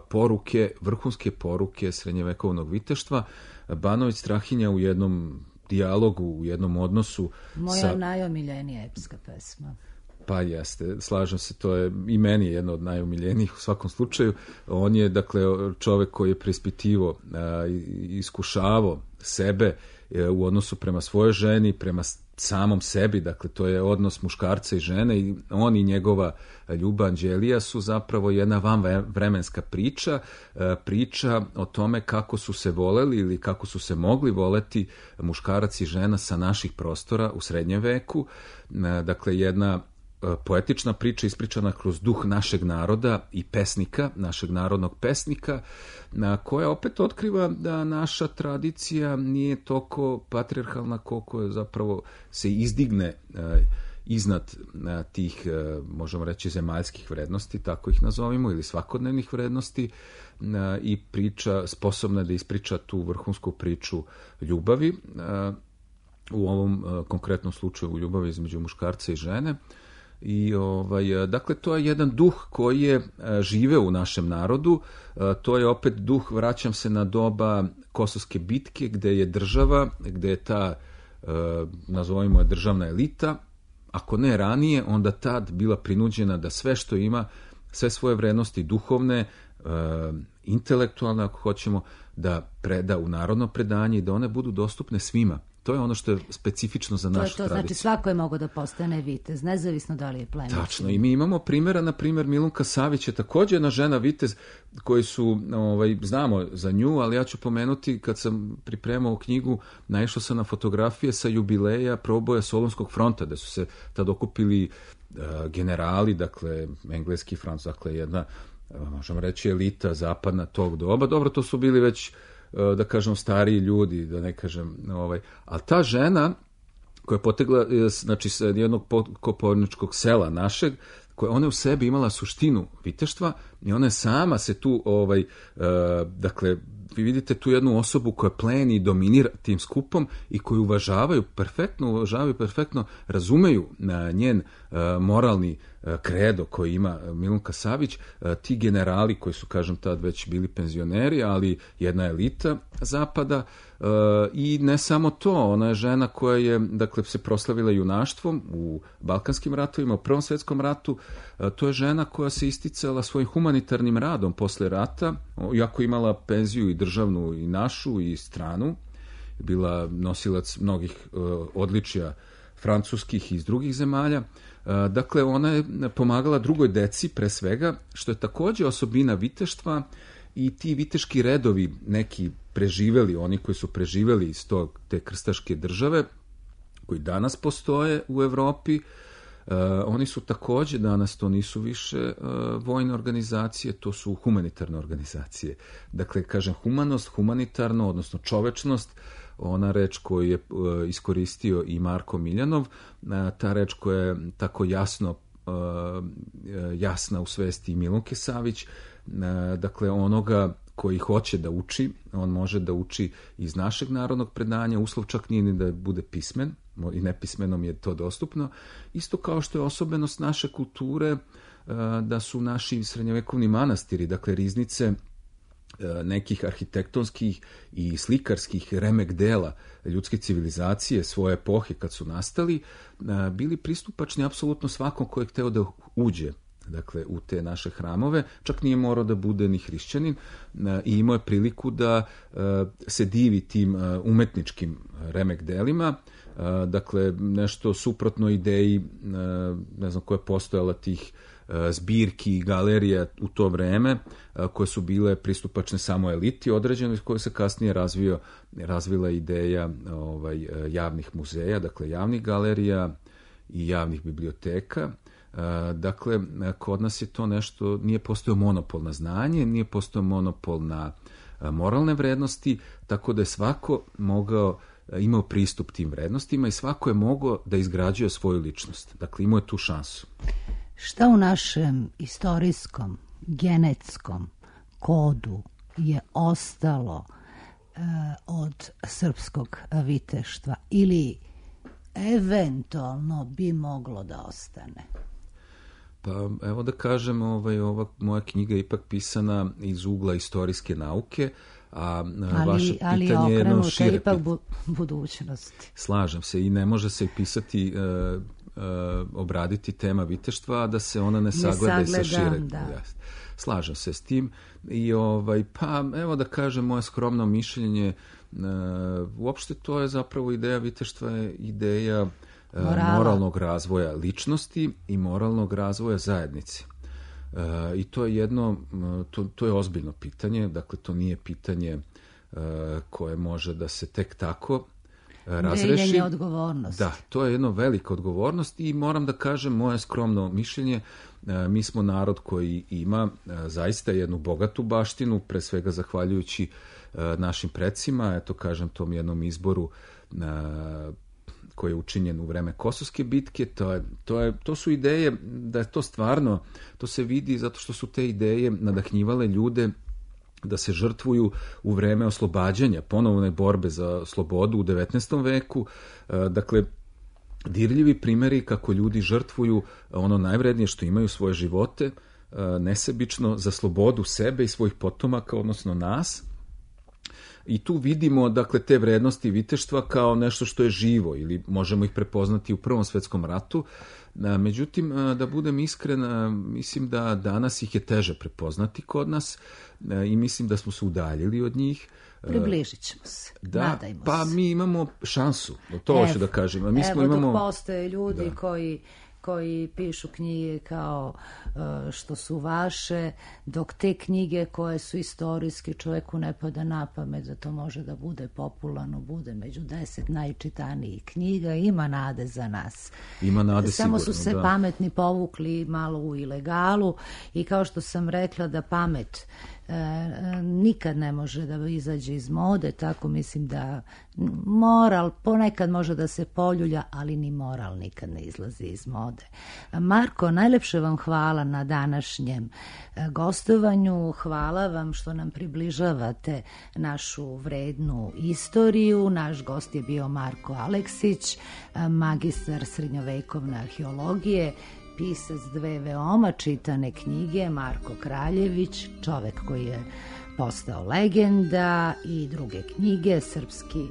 poruke, vrhunske poruke srednjevekovnog viteštva. Banović Strahinja u jednom dijalogu, u jednom odnosu... Moja najomiljenija epska pesma. Pa jeste, slažem se, to je i meni jedno od najomiljenijih u svakom slučaju. On je, dakle, čovek koji je preispitivao, iskušavao sebe u odnosu prema svojoj ženi, prema samom sebi, dakle, to je odnos muškarca i žene i on i njegova ljubav Anđelija su zapravo jedna vanvremenska priča o tome kako su se voleli ili kako su se mogli voleti muškarac i žena sa naših prostora u srednjem veku, dakle, jedna poetična priča ispričana kroz duh našeg naroda i pesnika, našeg narodnog pesnika, koja opet otkriva da naša tradicija nije toliko patrijarhalna koliko je zapravo se izdigne iznad tih, možemo reći, zemaljskih vrednosti, tako ih nazovimo, ili svakodnevnih vrednosti, i priča sposobna da ispriča tu vrhunsku priču ljubavi, u ovom konkretnom slučaju ljubavi između muškarca i žene. I dakle, to je jedan duh koji je živeo u našem narodu. To je opet duh, vraćam se na doba Kosovske bitke, gde je država, gde je ta, nazovimo je, državna elita, ako ne ranije, onda tad bila prinuđena da sve što ima, sve svoje vrednosti duhovne, intelektualne, ako hoćemo, da preda u narodno predanje i da one budu dostupne svima. To je ono što je specifično za našu tradiciju. Znači svako je mogao da postane vitez, nezavisno da li je plemić. Tačno, i mi imamo primjera, na primjer, Milunka Savić je također jedna žena vitez koji su, znamo za nju, ali ja ću pomenuti, kad sam pripremao knjigu, naišao sam na fotografije sa jubileja proboja Solunskog fronta, da su se tad okupili generali, dakle, engleski front, dakle, jedna, možemo reći, elita zapadna tog doba. Dobro, to su bili već, da kažem, stariji ljudi, da ne kažem, ali ta žena koja je potegla, znači, sa jednog koporničkog sela našeg, koja ona u sebi imala suštinu viteštva i ona je sama se tu, dakle, vi vidite tu jednu osobu koja pleni i dominira tim skupom i koju uvažavaju perfektno, razumeju njen moralni kredo koji ima Milunka Savić, ti generali koji su, kažem, tad već bili penzioneri, ali jedna elita zapada, i ne samo to, ona je žena koja je, dakle, se proslavila junaštvom u Balkanskim ratovima, u Prvom svjetskom ratu. To je žena koja se isticala svojim humanitarnim radom posle rata, iako imala penziju i državnu i našu i stranu, bila nosilac mnogih odličja francuskih i iz drugih zemalja. Dakle, ona je pomagala drugoj deci, pre svega, što je također osobina viteštva, i ti viteški redovi, neki preživeli, oni koji su preživeli iz te krstaške države, koji danas postoje u Evropi, oni su također danas, to nisu više vojne organizacije, to su humanitarne organizacije. Dakle, kažem, humanost, humanitarno, odnosno čovečnost, ona reč koju je iskoristio i Marko Miljanov, ta reč koja je tako jasna u svesti i Milunke Savić, dakle, onoga koji hoće da uči, on može da uči iz našeg narodnog predanja, uslov čak nije ni da bude pismen, i nepismenom je to dostupno, isto kao što je osobenost naše kulture da su naši srednjovekovni manastiri, dakle riznice nekih arhitektonskih i slikarskih remek dela ljudske civilizacije svoje epohe kad su nastali, bili pristupačni apsolutno svakom ko je hteo da uđe, dakle, u te naše hramove, čak nije morao da bude ni hrišćanin, i imao je priliku da se divi tim umetničkim remek delima, dakle, nešto suprotno ideji, ne znam koja je postojala, tih zbirki i galerija u to vreme, koje su bile pristupačne samo eliti određenoj, koje se kasnije razvila ideja javnih muzeja, dakle javnih galerija i javnih biblioteka. Dakle, kod nas je to nešto, nije postojao monopol na znanje, nije postojao monopol na moralne vrednosti, tako da je svako imao pristup tim vrednostima i svako je mogao da izgrađuje svoju ličnost. Dakle, imao je tu šansu. Šta u našem istorijskom, genetskom kodu je ostalo od srpskog viteštva ili eventualno bi moglo da ostane? Pa evo da kažem, ova moja knjiga je ipak pisana iz ugla istorijske nauke, a vaše pitanje je jedno šire ipak budućnosti. Slažem se i ne može se pisati, obraditi tema viteštva, a da se ona ne sagleda i sa šire. Slažem se s tim i pa evo da kažem moje skromno mišljenje, uopšte to je zapravo ideja viteštva, je ideja moralnog razvoja ličnosti i moralnog razvoja zajednice. I to je to je ozbiljno pitanje, dakle to nije pitanje koje može da se tek tako razreši. Deljenje odgovornosti. Da, to je jedna velika odgovornost i moram da kažem moje skromno mišljenje, mi smo narod koji ima zaista jednu bogatu baštinu, pre svega zahvaljujući našim precima, eto kažem tom jednom izboru koji je učinjen u vreme Kosovske bitke, to su ideje, da je to stvarno, to se vidi zato što su te ideje nadahnjivale ljude da se žrtvuju u vreme oslobađanja, ponovne borbe za slobodu u 19. veku, dakle, dirljivi primjeri kako ljudi žrtvuju ono najvrednije što imaju, svoje živote, nesebično za slobodu sebe i svojih potomaka, odnosno nas. I tu vidimo, dakle, te vrednosti viteštva kao nešto što je živo ili možemo ih prepoznati u Prvom svetskom ratu. Međutim, da budem iskren, mislim da danas ih je teže prepoznati kod nas i mislim da smo se udaljili od njih. Približit ćemo se, nadajmo se. Pa mi imamo šansu, to hoću da kažem. Dok postoje ljudi koji pišu knjige kao što su vaše, dok te knjige koje su istorijske čovjeku ne pada na pamet da to može da bude popularno, bude među 10 najčitanijih knjiga, ima nade za nas. Ima nade Samo sigurno, su se pametni povukli malo u ilegalu i kao što sam rekla da pamet nikad ne može da izađe iz mode, tako mislim da moral ponekad može da se poljulja, ali ni moral nikad ne izlazi iz mode. Marko, najlepše vam hvala na današnjem gostovanju, hvala vam što nam približavate našu vrednu istoriju. Naš gost je bio Marko Aleksić, magistar srednjovekovne arheologije, pisac dve veoma čitane knjige, Marko Kraljević, čovek koji je postao legenda, i druge knjige, Srpski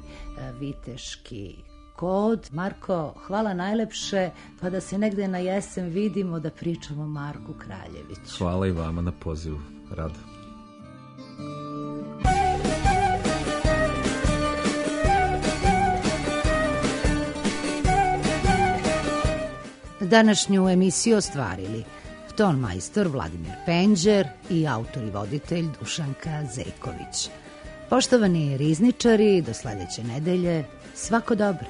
viteški kod. Marko, hvala najlepše, pa da se negde na jesen vidimo da pričamo o Marku Kraljeviću. Hvala i vama na pozivu, rado. Današnju emisiju ostvarili ton majstor Vladimir Penđer i autor i voditelj Dušanka Zejković. Poštovani rizničari, do sledeće nedelje, svako dobro.